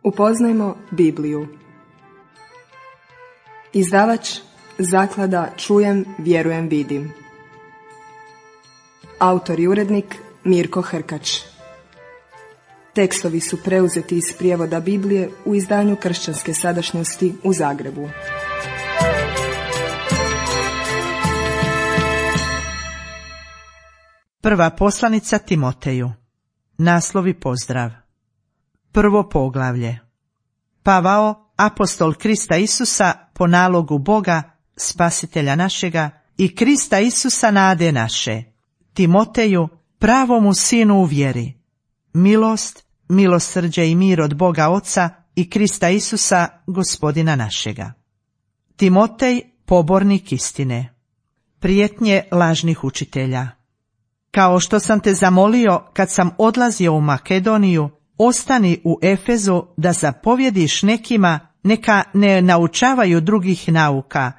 Upoznajmo Bibliju. Izdavač Zaklada Čujem, vjerujem, vidim. Autor i urednik Mirko Hrkač. Tekstovi su preuzeti iz prijevoda Biblije u izdanju Kršćanske sadašnjosti u Zagrebu. Prva poslanica Timoteju. Naslov i pozdrav. Prvo poglavlje. Pavao, apostol Krista Isusa po nalogu Boga, spasitelja našega, i Krista Isusa nade naše, Timoteju, pravomu sinu u vjeri, milost, milosrđe i mir od Boga Oca i Krista Isusa, gospodina našega. Timotej, pobornik istine. Prijetnje lažnih učitelja. Kao što sam te zamolio kad sam odlazio u Makedoniju, ostani u Efezu da zapovjediš nekima, neka ne naučavaju drugih nauka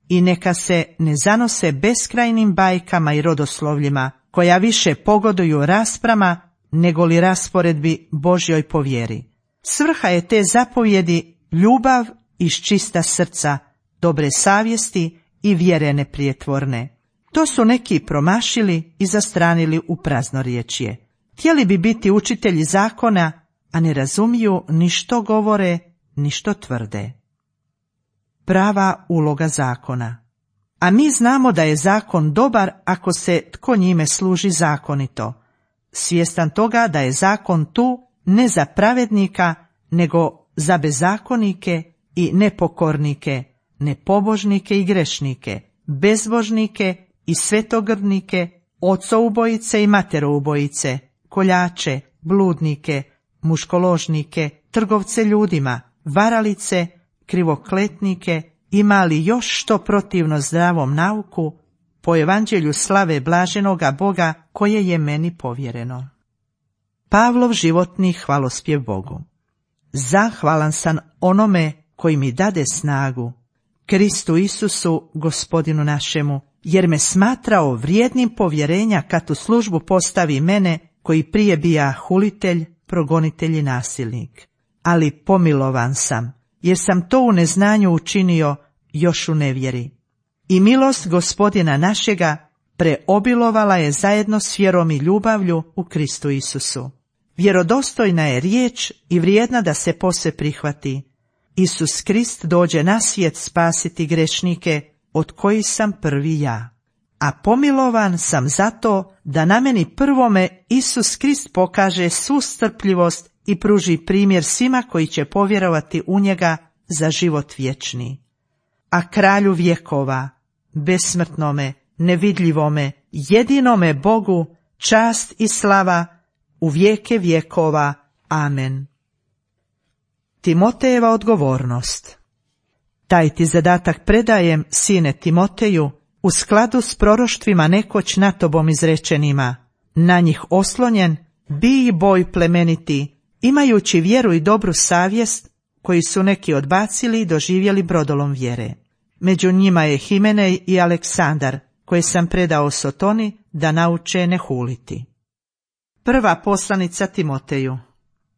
i neka se ne zanose beskrajnim bajkama i rodoslovljima, koja više pogoduju rasprama nego li rasporedbi Božjoj po vjeri. Svrha je te zapovjedi ljubav iz čista srca, dobre savjesti i vjere neprijetvorne. To su neki promašili i zastranili u praznorječje. Htjeli bi biti učitelji zakona, a ne razumiju ni što govore, ni što tvrde. Prava uloga zakona. A mi znamo da je zakon dobar ako se tko njime služi zakonito, svjestan toga da je zakon tu ne za pravednika, nego za bezakonike i nepokornike, nepobožnike i grešnike, bezbožnike i svetogrdnike, ocoubojice i materoubojice, koljače, bludnike, muškoložnike, trgovce ljudima, varalice, krivokletnike, ima li još što protivno zdravom nauku, po evanđelju slave blaženoga Boga koje je meni povjereno. Pavlov životni hvalospjev Bogu. Zahvalan sam onome koji mi dade snagu, Kristu Isusu, gospodinu našemu, jer me smatrao vrijednim povjerenja kad u službu postavi mene, koji prije bija hulitelj, progonitelj i nasilnik. Ali pomilovan sam, jer sam to u neznanju učinio još u nevjeri. I milost gospodina našega preobilovala je zajedno s vjerom i ljubavlju u Kristu Isusu. Vjerodostojna je riječ i vrijedna da se pose prihvati. Isus Krist dođe na svijet spasiti grešnike, od kojih sam prvi ja. A pomilovan sam zato da na meni prvome Isus Krist pokaže svu strpljivost i pruži primjer svima koji će povjerovati u njega za život vječni. A kralju vjekova, besmrtnome, nevidljivome, jedinome Bogu, čast i slava u vijeke vjekova. Amen. Timotejeva odgovornost. Taj ti zadatak predajem, sine Timoteju, u skladu s proroštvima nekoć na tobom izrečenima. Na njih oslonjen, bij boj plemeniti, imajući vjeru i dobru savjest, koji su neki odbacili i doživjeli brodolom vjere. Među njima je Himenej i Aleksandar, koje sam predao Sotoni da nauče ne huliti. Prva poslanica Timoteju.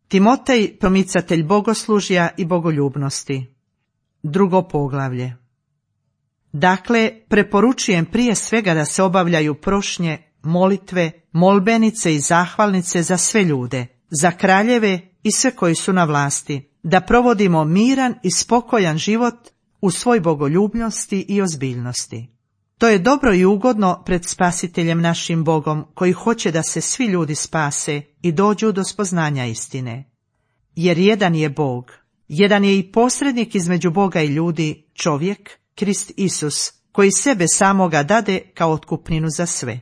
Timotej, promicatelj bogoslužja i bogoljubnosti. Drugo poglavlje. Dakle, preporučujem prije svega da se obavljaju prošnje, molitve, molbenice i zahvalnice za sve ljude, za kraljeve i sve koji su na vlasti, da provodimo miran i spokojan život u svoj bogoljubnosti i ozbiljnosti. To je dobro i ugodno pred Spasiteljem našim Bogom, koji hoće da se svi ljudi spase i dođu do spoznanja istine. Jer jedan je Bog, jedan je i posrednik između Boga i ljudi, čovjek, Krist Isus, koji sebe samoga dade kao otkupninu za sve.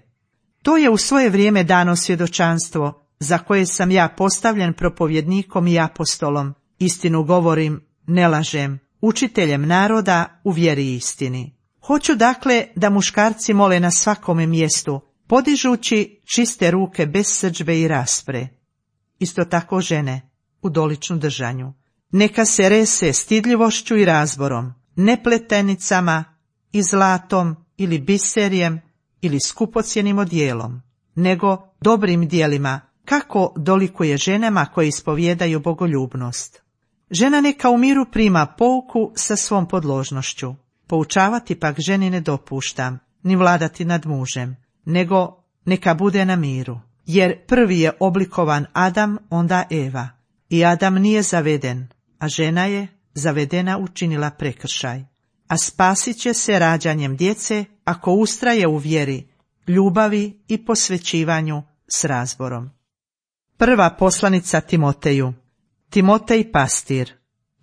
To je u svoje vrijeme dano svjedočanstvo, za koje sam ja postavljen propovjednikom i apostolom, istinu govorim, ne lažem, učiteljem naroda u vjeri i istini. Hoću dakle da muškarci mole na svakome mjestu, podižući čiste ruke bez srdžbe i raspre. Isto tako žene, u doličnu držanju. Neka se rese stidljivošću i razborom, ne pletenicama i zlatom ili biserijem ili skupocjenim odjelom, nego dobrim djelima, kako dolikuje ženama koje ispovijedaju bogoljubnost. Žena neka u miru prima pouku sa svom podložnošću. Poučavati pak ženi ne dopuštam, ni vladati nad mužem, nego neka bude na miru. Jer prvi je oblikovan Adam, onda Eva. I Adam nije zaveden, a žena je zavedena učinila prekršaj. A spasit će se rađanjem djece ako ustraje u vjeri, ljubavi i posvećivanju s razborom. Prva poslanica Timoteju. Timotej pastir.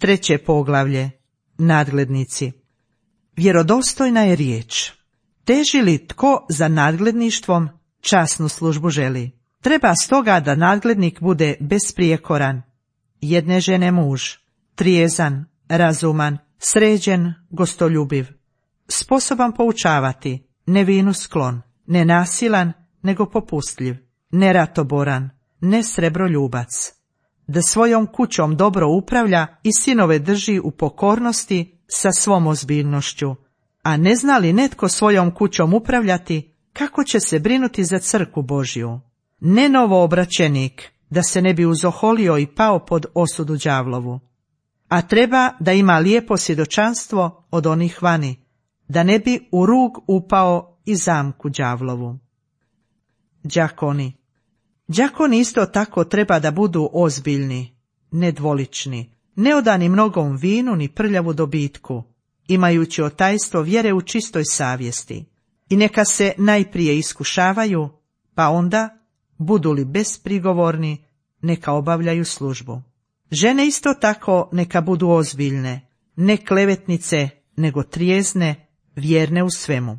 3. poglavlje. Nadglednici. Vjerodostojna je riječ. Teži li tko za nadgledništvom, časnu službu želi. Treba stoga da nadglednik bude besprijekoran, jedne žene muž, trijezan, razuman, sređen, gostoljubiv, sposoban poučavati, ne vinu sklon, ne nasilan, nego popustljiv, ne ratoboran, ne srebroljubac, da svojom kućom dobro upravlja i sinove drži u pokornosti sa svom ozbiljnošću. A ne zna li netko svojom kućom upravljati, kako će se brinuti za crkvu Božju? Ne novoobraćenik, da se ne bi uzoholio i pao pod osudu đavlovu. A treba da ima lijepo svjedočanstvo od onih vani, da ne bi u rug upao i zamku đavlovu. Đakoni. Đakoni isto tako treba da budu ozbiljni, nedvolični, neodani mnogom vinu ni prljavu dobitku, imajući otajstvo vjere u čistoj savjesti. I neka se najprije iskušavaju, pa onda, budu li besprigovorni, neka obavljaju službu. Žene isto tako neka budu ozbiljne, ne klevetnice, nego trijezne, vjerne u svemu.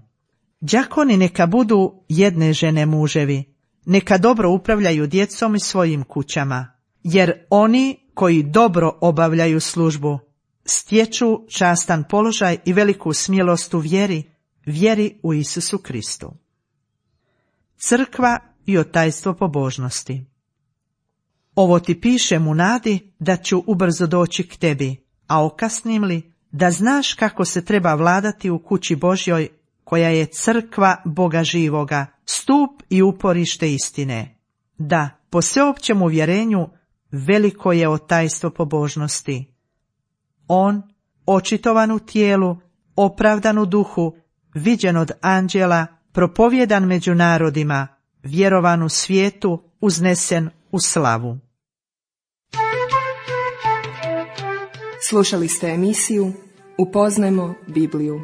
Đakoni neka budu jedne žene muževi, neka dobro upravljaju djecom i svojim kućama, jer oni koji dobro obavljaju službu stječu častan položaj i veliku smjelost u vjeri u Isusu Kristu. Crkva i otajstvo pobožnosti. Ovo ti pišem u nadi da ću ubrzo doći k tebi, a okasnim li, da znaš kako se treba vladati u kući Božjoj, koja je crkva Boga živoga, stup i uporište istine. Da, po sveopćem uvjerenju, veliko je otajstvo pobožnosti. On, očitovan u tijelu, opravdan u duhu, viđen od anđela, propovjedan među narodima, vjerovan u svijetu, uznesen u slavu. Slušali ste emisiju Upoznajmo Bibliju.